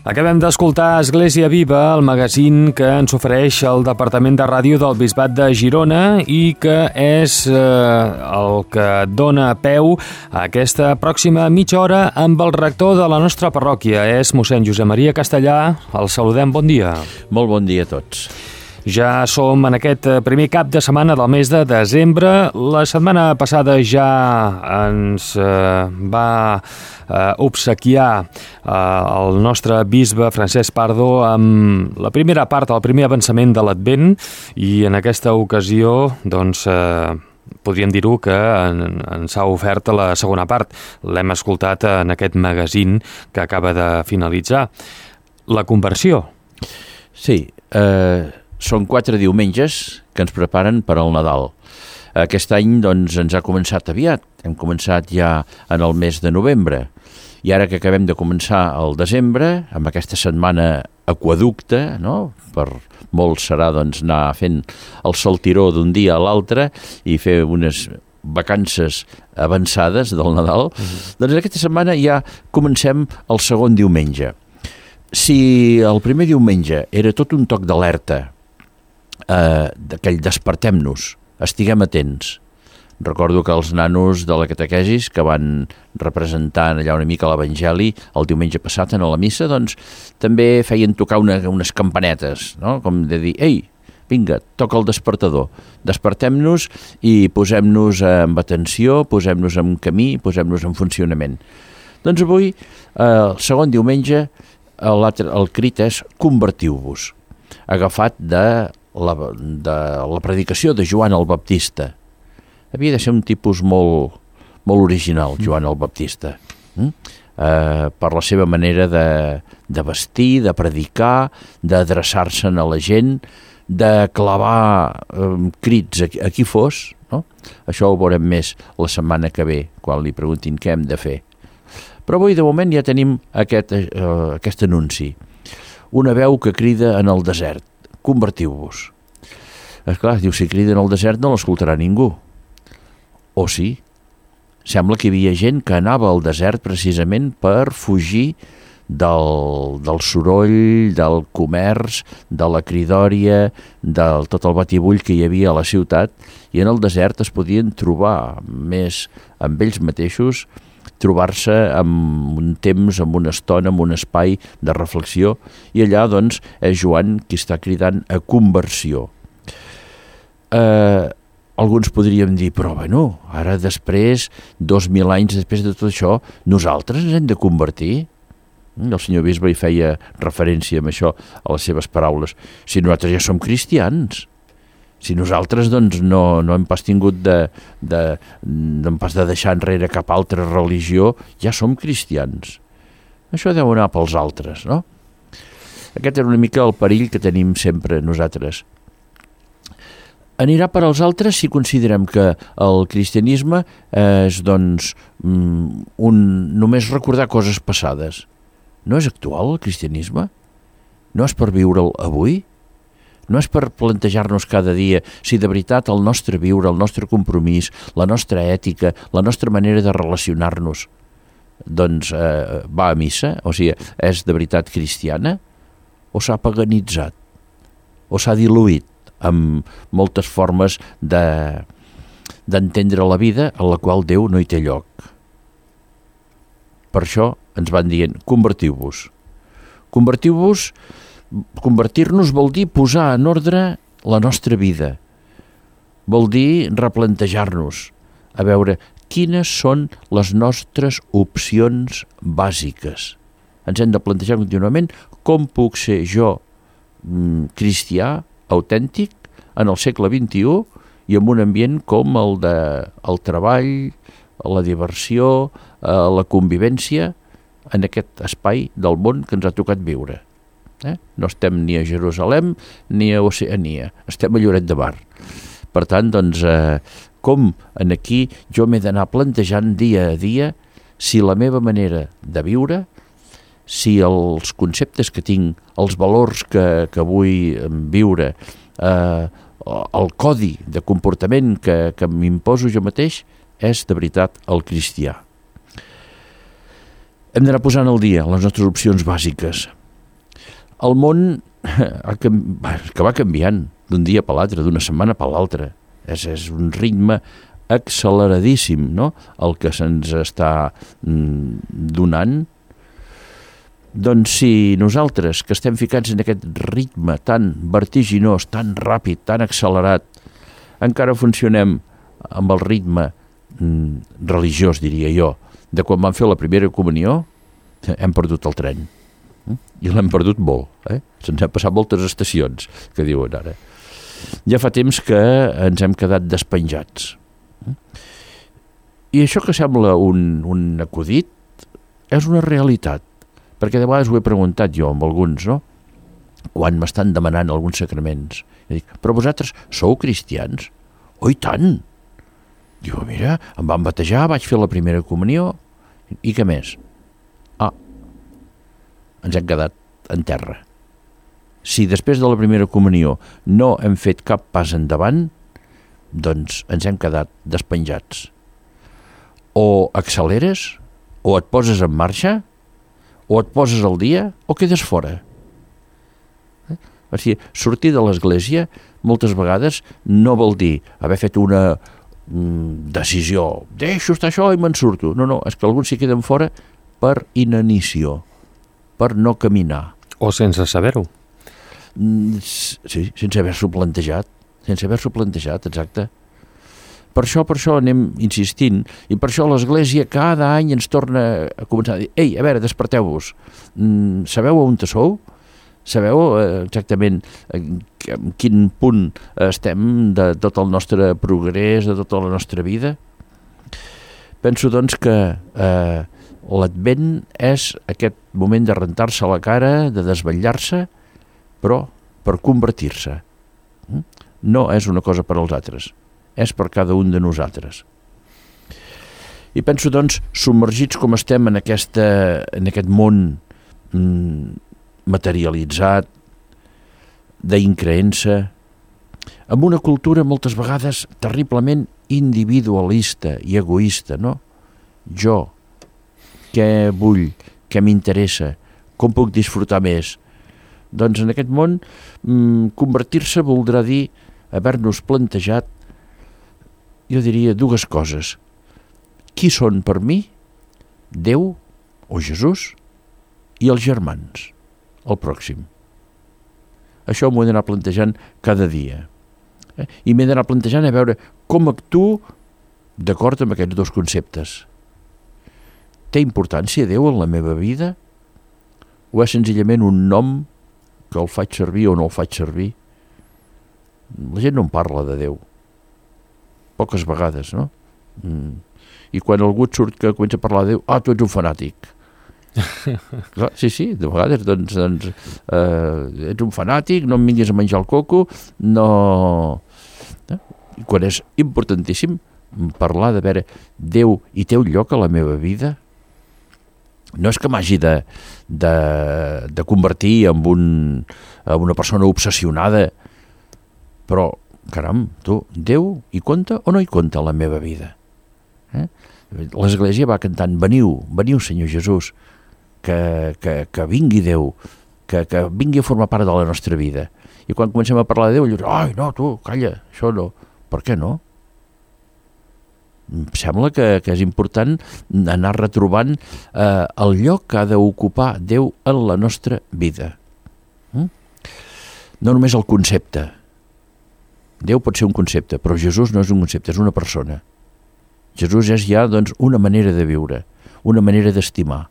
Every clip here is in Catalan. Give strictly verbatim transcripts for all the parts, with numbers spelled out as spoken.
Acabem d'escoltar Església Viva, el magazín que ens ofereix el Departament de Ràdio del Bisbat de Girona i que és eh, el que dona peu a aquesta pròxima mitja hora amb el rector de la nostra parròquia. És mossèn Josep Maria Castellà. El saludem, bon dia. Molt bon dia a tots. Ja som en aquest primer cap de setmana del mes de desembre. La setmana passada ja ens eh, va eh, obsequiar eh, el nostre bisbe Francesc Pardo amb la primera part, el primer avançament de l'Advent, i en aquesta ocasió, doncs, eh, podríem dir-ho que en, ens ha ofert la segona part. L'hem escoltat en aquest magazín que acaba de finalitzar. La conversió. Sí, eh... són quatre diumenges que ens preparen per al Nadal. Aquest any doncs, ens ha començat aviat. Hem començat ja en el mes de novembre. I ara que acabem de començar el desembre, amb aquesta setmana aquaducte, no? Per molts serà doncs, anar fent el saltiró d'un dia a l'altre i fer unes vacances avançades del Nadal. Uh-huh. Doncs aquesta setmana ja comencem el segon diumenge. Si el primer diumenge era tot un toc d'alerta, Eh, d'aquell despertem-nos, estiguem atents. Recordo que els nanos de la catequesis que van representant allà una mica l'Evangeli el diumenge passat en la missa, doncs també feien tocar una, unes campanetes, no? Com de dir, ei, vinga, toca el despertador, despertem-nos i posem-nos amb atenció, posem-nos en camí, posem-nos en funcionament. Doncs avui, eh, el segon diumenge, el, el crit és convertiu-vos, agafat de La, de la predicació de Joan el Baptista. Havia de ser un tipus molt, molt original, Joan el Baptista, mm? eh, per la seva manera de, de vestir, de predicar, d'adreçar-se'n a la gent, de clavar eh, crits a, a qui fos, no? Això ho veurem més la setmana que ve, quan li preguntin què hem de fer. Però avui, de moment, ja tenim aquest, eh, aquest anunci. Una veu que crida en el desert. Convertiu-vos. Esclar, diu, si crida en el desert no l'escoltarà ningú. O sí? Sembla que hi havia gent que anava al desert precisament per fugir del, del soroll, del comerç, de la cridòria, del tot el batibull que hi havia a la ciutat, i en el desert es podien trobar més amb ells mateixos, trobar-se amb un temps, amb una estona, amb un espai de reflexió, i allà, doncs, és Joan qui està cridant a conversió. Eh, alguns podríem dir, però, bueno, ara després, dos mil anys després de tot això, nosaltres ens hem de convertir? El senyor bisbe hi feia referència amb això a les seves paraules. Si nosaltres ja som cristians, si nosaltres doncs, no, no hem pas tingut de, de, de, pas de deixar enrere cap altra religió, ja som cristians. Això deu anar pels altres, no? Aquest és una mica el perill que tenim sempre nosaltres. Anirà per als altres si considerem que el cristianisme és doncs, un, només recordar coses passades. No és actual el cristianisme? No és per viure'l avui? No és per plantejar-nos cada dia si de veritat el nostre viure, el nostre compromís, la nostra ètica, la nostra manera de relacionar-nos, doncs eh, va a missa, o sigui, és de veritat cristiana, o s'ha paganitzat, o s'ha diluït amb moltes formes de, d'entendre la vida en la qual Déu no hi té lloc. Per això ens van dient, convertiu-vos. Convertiu-vos. Convertir-nos vol dir posar en ordre la nostra vida. Vol dir replantejar-nos, a veure quines són les nostres opcions bàsiques. Ens hem de plantejar contínuament com puc ser jo mm, cristià, autèntic, en el segle vint-i-u i en un ambient com el de el treball, la diversió, la convivència en aquest espai del món que ens ha tocat viure. Eh? No estem ni a Jerusalem ni a Oceania, estem a Lloret de Mar. Per tant, doncs, eh, com en aquí jo m'he d'anar plantejant dia a dia si la meva manera de viure, si els conceptes que tinc, els valors que, que vull viure, eh, el codi de comportament que, que m'imposo jo mateix és de veritat el cristià. Hem d'anar posant al dia les nostres opcions bàsiques. el món ha canvi... que va canviant d'un dia per l'altre, d'una setmana per l'altra. És, és un ritme acceleradíssim, no?, el que se'ns està mm, donant. Doncs si nosaltres, que estem ficats en aquest ritme tan vertiginós, tan ràpid, tan accelerat, encara funcionem amb el ritme mm, religiós, diria jo, de quan vam fer la primera comunió, hem perdut el tren. I l'hem perdut molt. Eh? Se'ns han passat moltes estacions, que diuen ara. Ja fa temps que ens hem quedat despenjats. I això que sembla un, un acudit és una realitat, perquè de vegades ho he preguntat jo amb alguns, no?, quan m'estan demanant alguns sacraments. I dic, però vosaltres sou cristians? Oh, i tant! Diu, mira, em van batejar, vaig fer la primera comunió, i què més? Ah, ens hem quedat en terra. Si després de la primera comunió no hem fet cap pas endavant, doncs ens hem quedat despenjats. O acceleres, o et poses en marxa, o et poses al dia, o quedes fora. Eh? O sigui, sortir de l'església moltes vegades no vol dir haver fet una mm, decisió, deixo estar això i me'n surto. No, no, és que alguns s'hi queden fora per inanició, per no caminar. O sense saber-ho. Sí, sense haver-s'ho plantejat, sense haver-s'ho plantejat, exacte. Per això, per això anem insistint, i per això l'Església cada any ens torna a començar a dir, ei, a veure, desperteu-vos, mm, sabeu on sou? Sabeu exactament en quin punt estem de tot el nostre progrés, de tota la nostra vida? Penso, doncs, que eh, l'Advent és aquest moment de rentar-se la cara, de desvetllar-se, però per convertir-se. No és una cosa per als altres, és per cada un de nosaltres. I penso, doncs, submergits com estem en, aquesta, en aquest món mm, materialitzat, d'increença, amb una cultura moltes vegades terriblement individualista i egoista, no? Jo, què vull, què m'interessa, com puc disfrutar més? Doncs en aquest món mmm, convertir-se voldrà dir haver-nos plantejat, jo diria, dues coses. Qui són per mi? Déu o Jesús i els germans, el pròxim. Això m'ho he d'anar plantejant cada dia. Eh? I m'he d'anar plantejant a veure com actuo d'acord amb aquests dos conceptes. Té importància Déu en la meva vida? O és senzillament un nom que el faig servir o no el faig servir? La gent no en parla de Déu. Poques vegades, no? Mm. I quan algú et surt que comença a parlar de Déu, ah, tu ets un fanàtic. Clar, sí, sí, de vegades, doncs, doncs eh, ets un fanàtic, no em vinguis a menjar el coco, no... Eh? I quan és importantíssim parlar de veure Déu i té un lloc a la meva vida, no és que m'hagi de, de, de convertir en, un, en una persona obsessionada, però, caram, tu, Déu hi compta o no hi compta la meva vida? Eh? L'Església va cantant, veniu, veniu Senyor Jesús, que, que, que vingui Déu, que, que vingui a formar part de la nostra vida. I quan comencem a parlar de Déu, dius, ai, no, tu, calla, això no. Per què no? Em sembla que, que és important anar retrobant eh, el lloc que ha d'ocupar Déu en la nostra vida. Mm? No només el concepte. Déu pot ser un concepte, però Jesús no és un concepte, és una persona. Jesús és ja, doncs, una manera de viure, una manera d'estimar.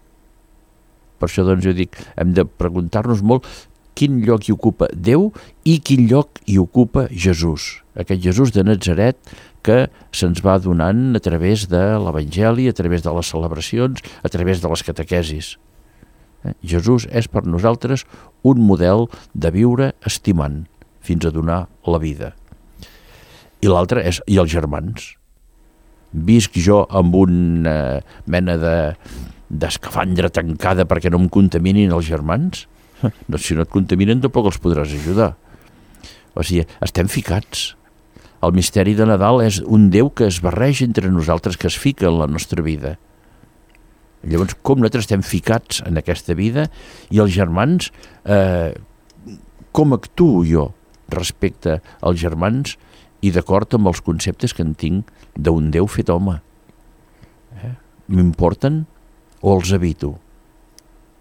Per això, doncs, jo dic, hem de preguntar-nos molt quin lloc hi ocupa Déu i quin lloc hi ocupa Jesús. Aquest Jesús de Natzaret que se'ns va donant a través de l'Evangeli, a través de les celebracions, a través de les catequesis. Eh? Jesús és per nosaltres un model de viure estimant fins a donar la vida. I l'altre és, i els germans. Visc jo amb una mena de, d'escafandra tancada perquè no em contaminin els germans? No, si no et contaminen tampoc els podràs ajudar. O sigui, estem ficats. El misteri de Nadal és un Déu que es barreja entre nosaltres, que es fica en la nostra vida. Llavors, com nosaltres estem ficats en aquesta vida i els germans, eh, com actuo jo respecte als germans i d'acord amb els conceptes que en tinc d'un Déu fet home. Eh? M'importen o els evito?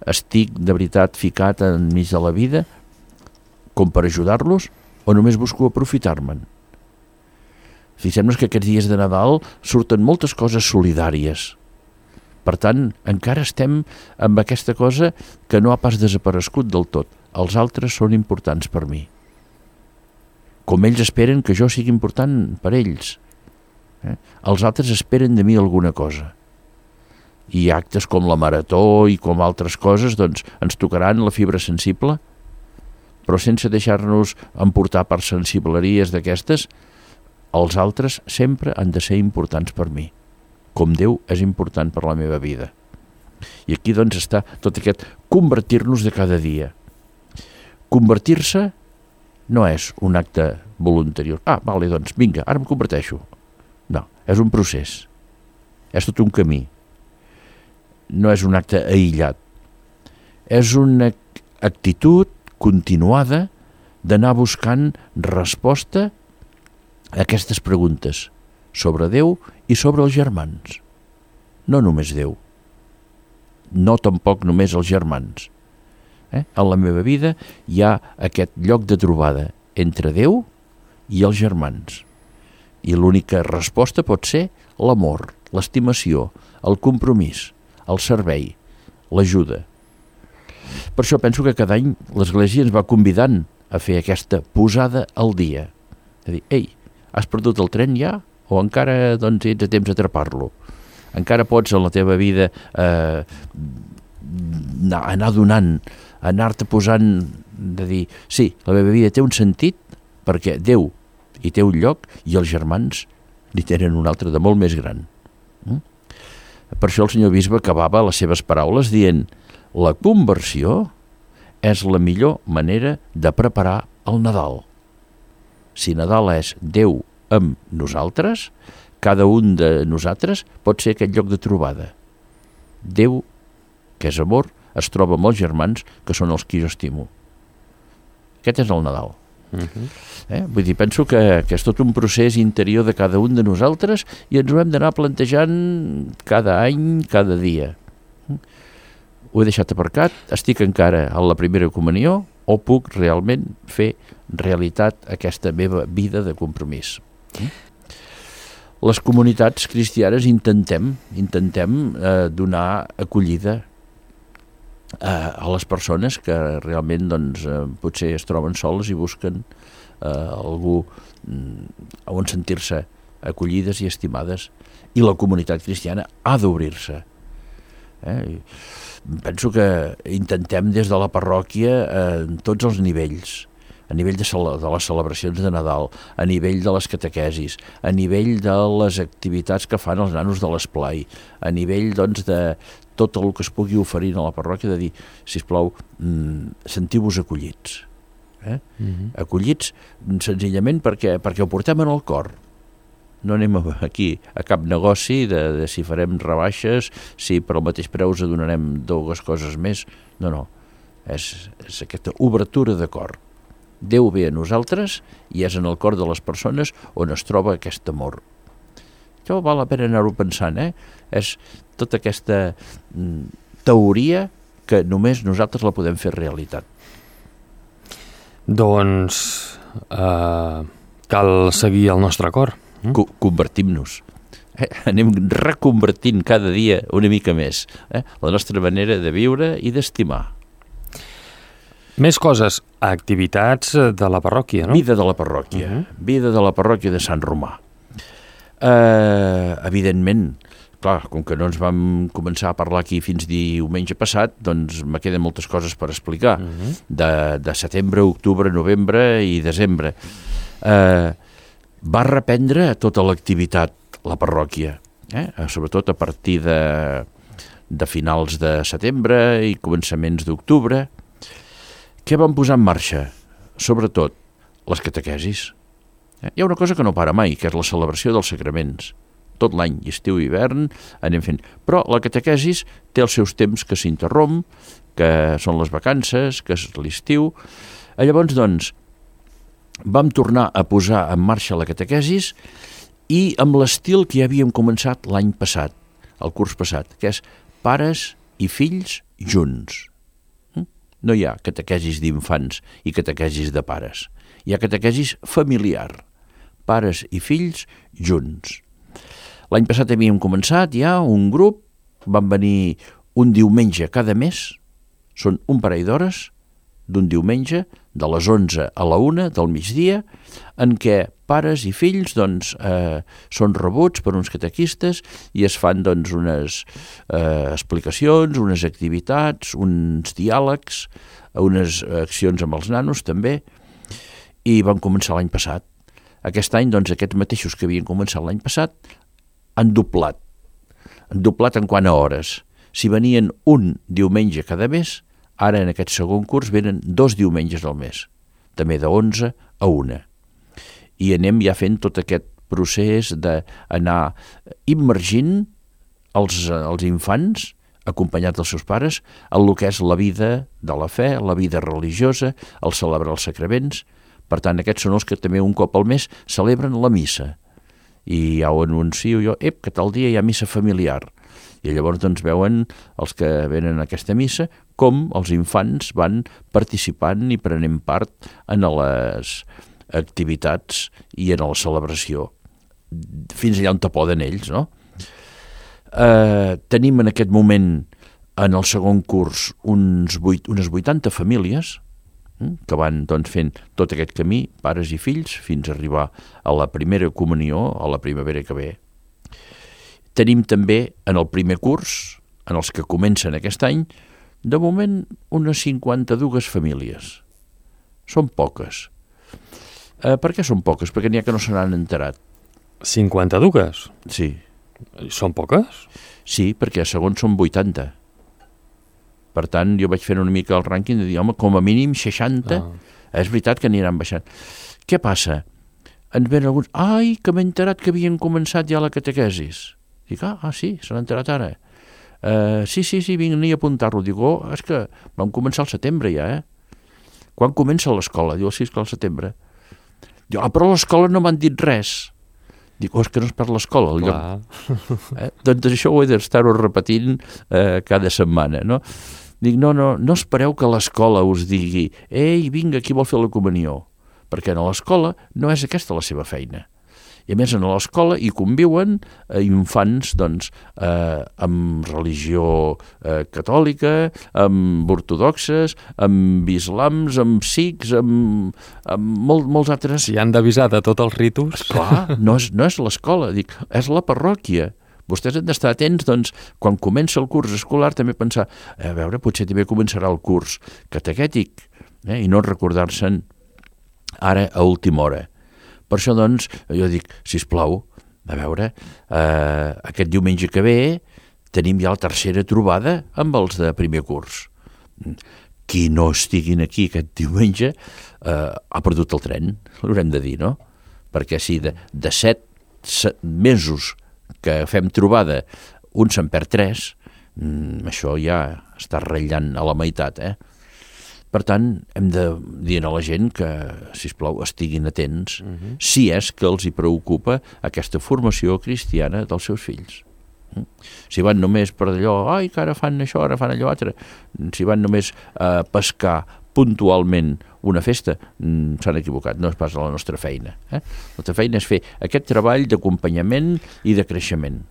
Estic de veritat ficat enmig de la vida com per ajudar-los o només busco aprofitar-me'n? Fixem-nos que aquests dies de Nadal surten moltes coses solidàries. Per tant, encara estem amb aquesta cosa que no ha pas desaparegut del tot. Els altres són importants per mi. Com ells esperen que jo sigui important per ells. Eh? Els altres esperen de mi alguna cosa. I actes com la marató i com altres coses, doncs, ens tocaran la fibra sensible, però sense deixar-nos emportar per sensibleries d'aquestes, els altres sempre han de ser importants per mi, com Déu és important per la meva vida. I aquí, doncs, està tot aquest convertir-nos de cada dia. Convertir-se no és un acte voluntari. Ah, vale, doncs, vinga, ara em converteixo. No, és un procés. És tot un camí. No és un acte aïllat. És una actitud continuada d'anar buscant resposta a aquestes preguntes sobre Déu i sobre els germans. No només Déu. No tampoc només els germans. Eh? En la meva vida hi ha aquest lloc de trobada entre Déu i els germans. I l'única resposta pot ser l'amor, l'estimació, el compromís, el servei, l'ajuda. Per això penso que cada any l'Església ens va convidant a fer aquesta posada al dia. De dir, ei, has perdut el tren ja? O encara doncs, ets a temps d'atrapar-lo? Encara pots en la teva vida eh, anar donant, anar-te posant, de dir, sí, la meva vida té un sentit perquè Déu hi té un lloc i els germans n'hi tenen un altre de molt més gran. Mm? Per això el senyor bisbe acabava les seves paraules dient la conversió és la millor manera de preparar el Nadal. Si Nadal és Déu amb nosaltres, cada un de nosaltres pot ser aquest lloc de trobada. Déu, que és amor, es troba amb els germans, que són els qui jo estimo. Aquest és el Nadal. Uh-huh. eh? Vull dir, penso que, que és tot un procés interior de cada un de nosaltres i ens ho hem d'anar plantejant cada any, cada dia. Ho he deixat aparcat, estic encara a la primera comunió o puc realment fer realitat aquesta meva vida de compromís. Les comunitats cristianes intentem, intentem eh, donar acollida a les persones que realment doncs, potser es troben soles i busquen eh, algú on sentir-se acollides i estimades, i la comunitat cristiana ha d'obrir-se. Eh? Penso que intentem des de la parròquia eh, en tots els nivells, a nivell de, de les celebracions de Nadal, a nivell de les catequesis, a nivell de les activitats que fan els nanos de l'esplai, a nivell doncs, de tot el que es pugui oferir a la parròquia, de dir, sisplau, sentiu-vos acollits. Eh? Uh-huh. Acollits senzillament perquè, perquè ho portem en el cor. No anem aquí a cap negoci de, de si farem rebaixes, si per al mateix preu us donarem dues coses més. No, no. És, és aquesta obertura de cor. Déu ve a nosaltres i és en el cor de les persones on es troba aquest amor. Això val la pena anar-ho pensant, eh? És tota aquesta mm, teoria que només nosaltres la podem fer realitat. Doncs eh, cal seguir el nostre cor. Mm? Co- convertim-nos. Eh? Anem reconvertint cada dia una mica més eh? la nostra manera de viure i d'estimar. Més coses, activitats de la parròquia, no? Vida de la parròquia, uh-huh. Vida de la parròquia de Sant Romà. Uh, evidentment, clar, com que no ens vam començar a parlar aquí fins diumenge passat, doncs me queden moltes coses per explicar, uh-huh. de, de setembre, octubre, novembre i desembre. Uh, va reprendre tota l'activitat, la parròquia, eh? Sobretot a partir de, de finals de setembre i començaments d'octubre. Què van posar en marxa? Sobretot les catequesis. Hi ha una cosa que no para mai, que és la celebració dels sacraments. tot l'any, estiu i hivern, anem fent. Però la catequesis té els seus temps que s'interromp, que són les vacances, que és l'estiu. Llavors, doncs, vam tornar a posar en marxa la catequesis i amb l'estil que ja havíem començat l'any passat, el curs passat, que és pares i fills junts. No hi ha catequesis d'infants i catequesis de pares. Hi ha catequesis familiar, pares i fills junts. L'any passat havíem començat ja un grup, van venir un diumenge cada mes, són un parell d'hores, d'un diumenge, de les onze a la una del migdia, en què pares i fills doncs, eh, són rebuts per uns catequistes i es fan doncs, unes eh, explicacions, unes activitats, uns diàlegs, unes accions amb els nanos també, i van començar l'any passat. Aquest any, doncs, aquests mateixos que havien començat l'any passat han doblat. Han doblat en quant a hores. Si venien un diumenge cada mes, ara en aquest segon curs venen dos diumenges al mes, també de onze a una. I anem ja fent tot aquest procés d'anar immergint els, els infants, acompanyats dels seus pares, en el que és la vida de la fe, la vida religiosa, el celebrar els sacraments. Per tant, aquests són els que també un cop al mes celebren la missa. I ja ho anuncio jo, ep, que tal dia hi ha missa familiar. I llavors doncs veuen els que venen a aquesta missa com els infants van participant i prenent part en les activitats i en la celebració, fins allà on te poden ells, no? Eh, tenim en aquest moment, en el segon curs, uns vuit, unes vuitanta famílies que van doncs, fent tot aquest camí, pares i fills, fins a arribar a la primera comunió, a la primavera que ve. Tenim també en el primer curs, en els que comencen aquest any, de moment unes cinquanta-dues famílies. Són poques. Eh, per què són poques? Perquè n'hi ha que no se n'han enterat. cinquanta-dues? Sí. Són poques? Sí, perquè a segons són vuitanta. Per tant, jo vaig fer una mica el rànquing de dir, home, com a mínim seixanta, ah. És veritat que aniran baixant. Què passa? Ens ven alguns, ai, que m'he enterat que havien començat ja la catequesis. Dic, ah, ah sí, se n'ha enterat ara. Uh, sí, sí, sí, vinc a apuntar-lo. Dic, oh, és que vam començar al setembre ja, eh? Quan comença l'escola? Diu, sí, és que al setembre. Diu, ah, però a l'escola no m'han dit res. Dic, oh, és que no és per l'escola. El lloc. Eh? Doncs això ho he d'estar-ho repetint eh, cada setmana, no? Dic, no, no, no espereu que l'escola us digui, ei, vinga, qui vol fer la comunió? Perquè a l'escola no és aquesta la seva feina. I a més, a l'escola hi conviuen eh, infants doncs, eh, amb religió eh, catòlica, amb ortodoxes, amb islams, amb sikhs, amb, amb molt, molts altres... Si han d'avisar de tots els ritus... Clar, no és, no és l'escola, dic, és la parròquia. Vostès han d'estar atents, doncs, quan comença el curs escolar, també pensar, a veure, potser també començarà el curs catequètic, eh, i no recordar-se'n ara a última hora. Per això, doncs, jo dic, sisplau, a veure, eh, aquest diumenge que ve tenim ja la tercera trobada amb els de primer curs. Qui no estiguin aquí aquest diumenge eh, ha perdut el tren, l'haurem de dir, no? Perquè si de, de set, set mesos que fem trobada un se'n perd tres, mm, això ja està ratllant a la meitat, eh? Per tant, hem de dir a la gent que, sisplau, estiguin atents uh-huh. si és que els hi preocupa aquesta formació cristiana dels seus fills. Si van només per allò, ai, que ara fan això, ara fan allò altre, si van només a pescar puntualment una festa, s'han equivocat, no és pas la nostra feina. Eh? La nostra feina és fer aquest treball d'acompanyament i de creixement.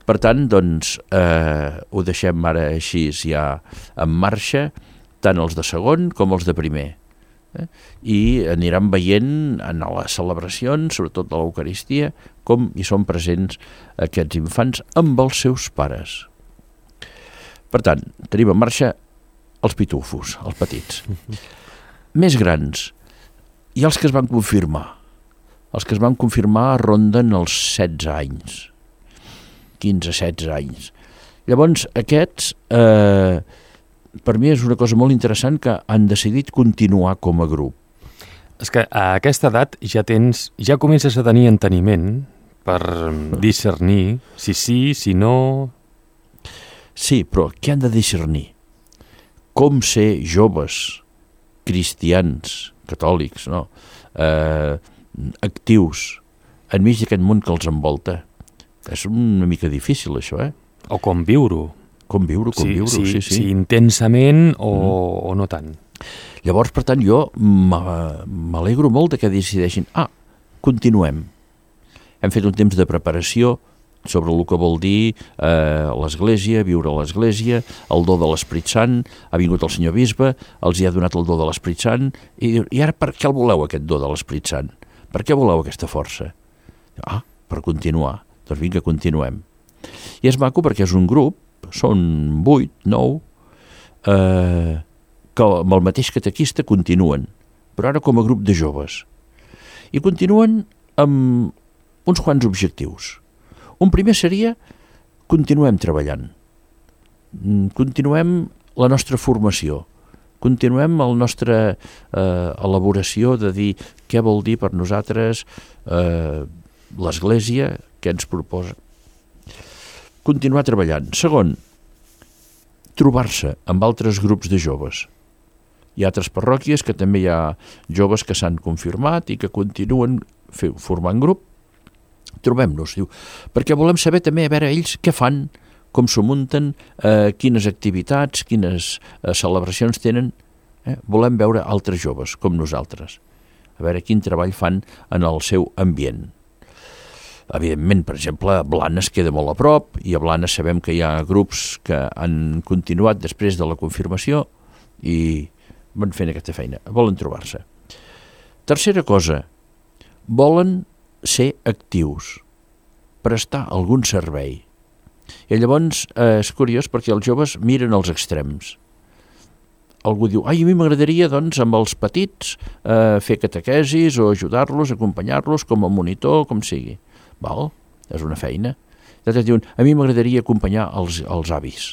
Per tant, doncs, eh, ho deixem ara així ja en marxa, tant els de segon com els de primer. Eh? I aniran veient en les celebracions, sobretot de l'Eucaristia, com hi són presents aquests infants amb els seus pares. Per tant, tenim en marxa els pitufos, els petits. Més grans, i els que es van confirmar. Els que es van confirmar ronden els setze anys, quinze setze anys. Llavors, aquests... Eh, per mi és una cosa molt interessant que han decidit continuar com a grup. És que a aquesta edat ja tens, ja comences a tenir enteniment per discernir si sí, si no... Sí, però què han de discernir? Com ser joves, cristians, catòlics, no? eh, actius, enmig d'aquest món que els envolta. És una mica difícil, això, eh? O com viure-ho. Com viure-ho, com sí, viure-ho, sí, sí, sí. Sí, intensament o, mm. o no tant. Llavors, per tant, jo m'alegro molt de que decideixin, ah, continuem. Hem fet un temps de preparació sobre el que vol dir eh, l'Església, viure a l'Església, el do de l'Esperit Sant, ha vingut el senyor bisbe, els hi ha donat el do de l'Esperit Sant, i, i ara per què el voleu, aquest do de l'Esperit Sant? Per què voleu aquesta força? Ah, per continuar. Doncs vinga, continuem. I és maco perquè és un grup, són vuit, nou, eh, que amb el mateix catequista continuen, però ara com a grup de joves. I continuen amb uns quants objectius. Un primer seria, continuem treballant, continuem la nostra formació, continuem la nostra eh, elaboració de dir què vol dir per nosaltres eh, l'Església, què ens proposa. Continuar treballant. Segon, trobar-se amb altres grups de joves. Hi ha altres parròquies que també hi ha joves que s'han confirmat i que continuen formant grup. Trobem-nos, diu, perquè volem saber també a veure ells què fan, com s'ho munten, eh, quines activitats, quines eh, celebracions tenen. Eh? Volem veure altres joves com nosaltres, a veure quin treball fan en el seu ambient. Evidentment, per exemple, Blanes queda molt a prop i a Blanes sabem que hi ha grups que han continuat després de la confirmació i van fent aquesta feina, volen trobar-se. Tercera cosa, volen ser actius, prestar algun servei. I llavors eh, és curiós perquè els joves miren els extrems. Algú diu, ai, a mi m'agradaria doncs amb els petits eh, fer catequesis o ajudar-los, acompanyar-los com a monitor, com sigui. Val? És una feina. I altres diuen, a mi m'agradaria acompanyar els, els avis.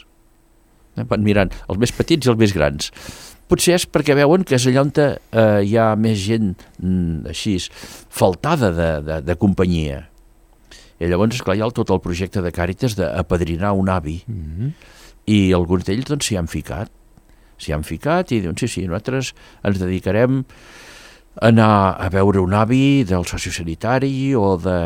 Eh, van mirant els més petits i els més grans. Potser és perquè veuen que és allà on eh, hi ha més gent mm, així, faltada de, de, de companyia. I llavors, esclar, hi ha tot el projecte de Càritas d'apadrinar un avi. Mm-hmm. I alguns d'ells doncs, s'hi han ficat. S'hi han ficat i diuen, sí, sí, nosaltres ens dedicarem a anar a veure un avi del sociosanitari o de,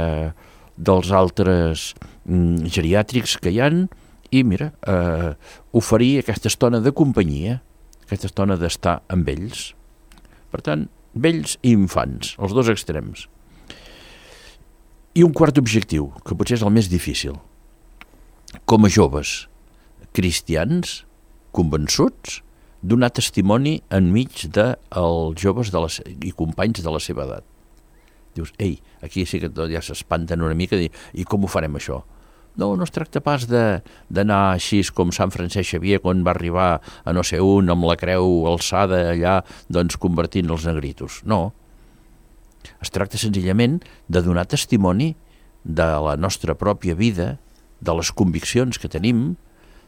dels altres mm, geriàtrics que hi han i, mira, eh, oferir aquesta estona de companyia, aquesta estona d'estar amb ells. Per tant, vells i infants, els dos extrems. I un quart objectiu, que potser és el més difícil. Com a joves cristians, convençuts, donar testimoni enmig dels joves de les, i companys de la seva edat. Dius, ei, aquí sí que ja s'espanten una mica, i, i com ho farem això? No, no es tracta pas d'anar així com Sant Francesc Xavier quan va arribar a no sé un amb la creu alçada allà, doncs convertint els negritos. No. Es tracta senzillament de donar testimoni de la nostra pròpia vida, de les conviccions que tenim,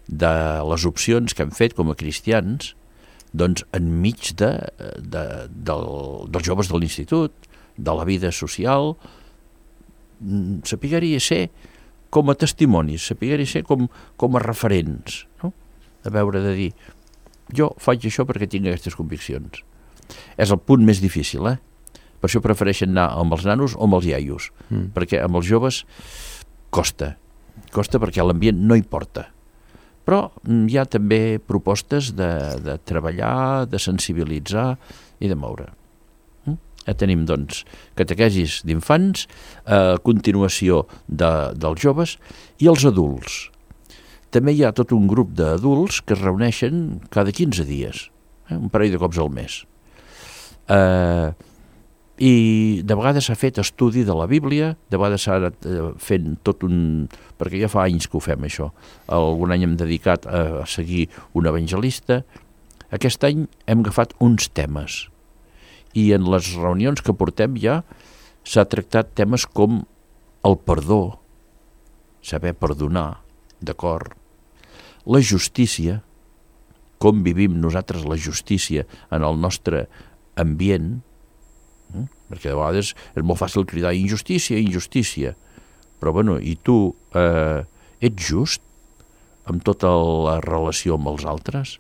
de les opcions que hem fet com a cristians, doncs enmig de, de, del, dels joves de l'institut, de la vida social, sapiguer-hi ser com a testimonis, sapiguer-hi ser com, com a referents, no? A veure de dir, jo faig això perquè tinc aquestes conviccions. És el punt més difícil, eh? Per això prefereixen anar amb els nanos o amb els iaios, mm. perquè amb els joves costa, costa perquè l'ambient no hi porta. Però hi ha també propostes de, de treballar, de sensibilitzar i de moure. Ja tenim, doncs, catequesis d'infants, eh, continuació de, dels joves i els adults. També hi ha tot un grup d'adults que es reuneixen cada quinze dies, eh, un parell de cops al mes. Eh, I de vegades s'ha fet estudi de la Bíblia, de vegades s'ha anat eh, fent tot un... perquè ja fa anys que ho fem, això. Algun any hem dedicat a, a seguir un evangelista. Aquest any hem agafat uns temes. I en les reunions que portem ja s'ha tractat temes com el perdó, saber perdonar, d'acord, la justícia, com vivim nosaltres la justícia en el nostre ambient, eh? Perquè de vegades és molt fàcil cridar injustícia, injustícia. però bueno, i tu eh, ets just amb tota la relació amb els altres?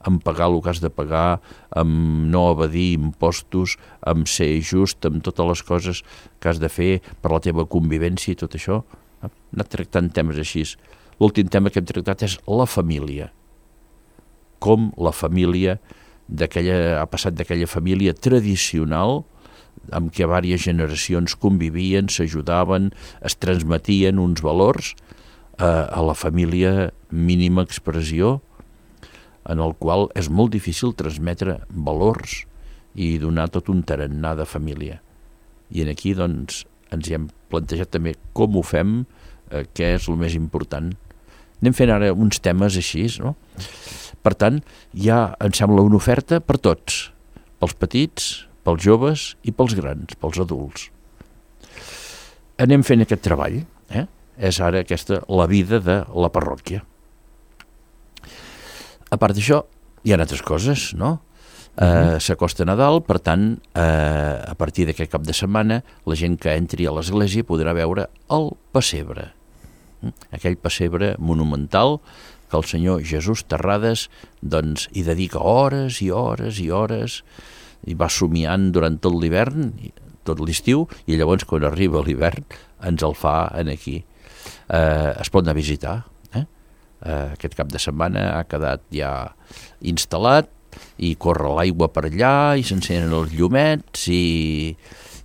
Amb pagar el que has de pagar, amb no evadir impostos, amb ser just, amb totes les coses que has de fer per la teva convivència i tot això? Hem anat tractant temes així. L'últim tema que hem tractat és la família. Com la família d'aquella, ha passat d'aquella família tradicional amb què diverses generacions convivien, s'ajudaven, es transmetien uns valors a, a la família mínima expressió, en el qual és molt difícil transmetre valors i donar tot un tarannà de família. I en aquí doncs, ens hi hem plantejat també com ho fem, eh, què és el més important. Anem fent ara uns temes així, no? Per tant, ja em sembla una oferta per tots, pels petits, pels joves i pels grans, pels adults. Anem fent aquest treball, eh? És ara aquesta la vida de la parròquia. A part d'això, hi ha altres coses, no? Uh, s'acosta Nadal, per tant, uh, a partir d'aquest cap de setmana, la gent que entri a l'església podrà veure el pessebre. Aquell pessebre monumental que el senyor Jesús Terrades doncs, hi dedica hores i hores i hores, i va somiant durant tot l'hivern, tot l'estiu, i llavors quan arriba l'hivern ens el fa en aquí. Uh, es pot anar a visitar. Uh, aquest cap de setmana ha quedat ja instal·lat i corre l'aigua per allà i s'encenen els llumets i,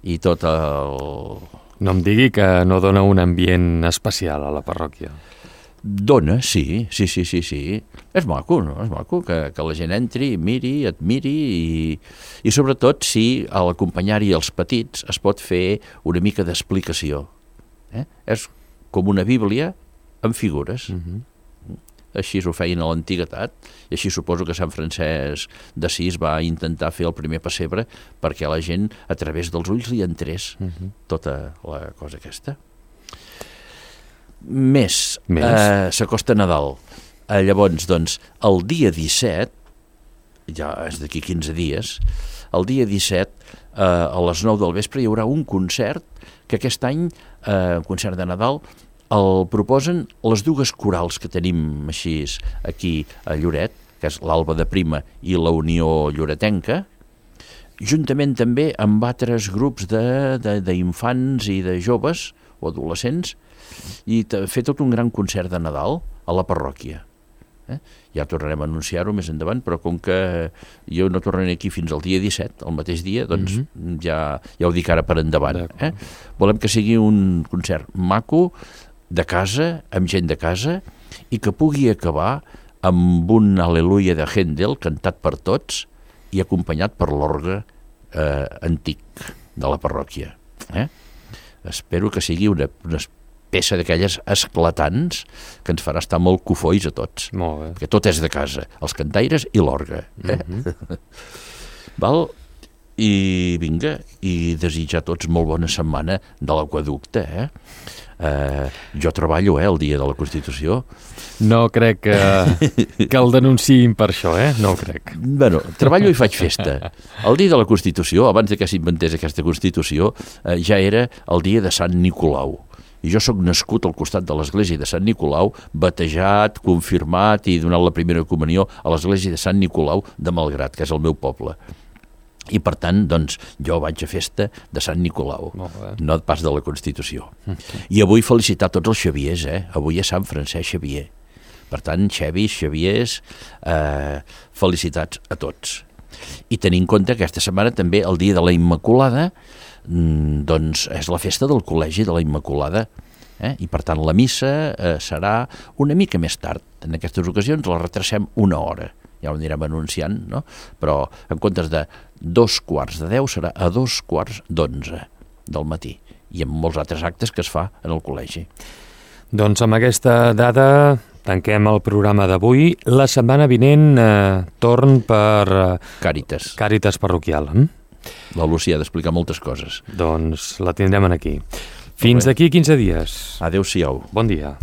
i tot el... No em digui que no dona un ambient especial a la parròquia. Dona, sí, sí, sí, sí, sí. És maco, no? És maco que, que la gent entri, miri, admiri i, i sobretot si a l'acompanyar-hi els petits es pot fer una mica d'explicació. Eh? És com una Bíblia amb figures. Mm-hmm. Així ho feien a l'antiguitat, i així suposo que Sant Francesc d'Assís va intentar fer el primer pessebre perquè la gent a través dels ulls li entrés uh-huh. tota la cosa aquesta. Més, Més. Eh, s'acosta Nadal. Eh, llavors, doncs, el dia disset, ja és d'aquí quinze dies, el dia disset, eh, a les nou del vespre, hi haurà un concert que aquest any, eh, un concert de Nadal, el proposen les dues corals que tenim així aquí a Lloret, que és l'Alba de Prima i la Unió Lloretenca, juntament també amb altres grups d'infants i de joves o adolescents, i fer tot un gran concert de Nadal a la parròquia. Eh? Ja tornarem a anunciar-ho més endavant, però com que jo no tornaré aquí fins al dia disset, el mateix dia, doncs mm-hmm. ja, ja ho dic ara per endavant. Eh? Volem que sigui un concert maco, de casa, amb gent de casa, i que pugui acabar amb un Al·leluia de Händel cantat per tots i acompanyat per l'orgue eh, antic de la parròquia. Eh? Espero que sigui una, una peça d'aquelles esclatants que ens farà estar molt cofois a tots. Molt bé. Que tot és de casa, els cantaires i l'orgue. Eh? Mm-hmm. Val? I vinga, i desitjar a tots molt bona setmana de l'aqüeducte, eh? Uh, jo treballo, eh, el dia de la Constitució. No crec que, que el denunciïn per això, eh? No ho crec. Bueno, treballo i faig festa. El dia de la Constitució, abans de que s'inventés aquesta Constitució, uh, ja era el dia de Sant Nicolau. I jo sóc nascut al costat de l'església de Sant Nicolau, batejat, confirmat i donat la primera comunió a l'església de Sant Nicolau de Malgrat, que és el meu poble. I per tant, doncs, jo vaig a festa de Sant Nicolau, no pas de la Constitució. I avui felicitar tots els Xaviers, eh? Avui és Sant Francesc Xavier. Per tant, Xavis, Xaviers, eh, felicitats a tots. I tenir en compte que aquesta setmana també el dia de la Immaculada, doncs és la festa del Col·legi de la Immaculada, eh? I per tant la missa eh, serà una mica més tard. En aquestes ocasions la retracem una hora. Ja ho anirem anunciant, no? Però en comptes de dos quarts de deu serà a dos quarts d'onze del matí, i amb molts altres actes que es fa en el col·legi. Doncs amb aquesta dada tanquem el programa d'avui. La setmana vinent eh, torn per... Eh, Càritas. Càritas parroquial. Eh? La Lúcia ha d'explicar moltes coses. Doncs la tindrem aquí. Fins d'aquí quinze dies. Adéu-siau. Bon dia.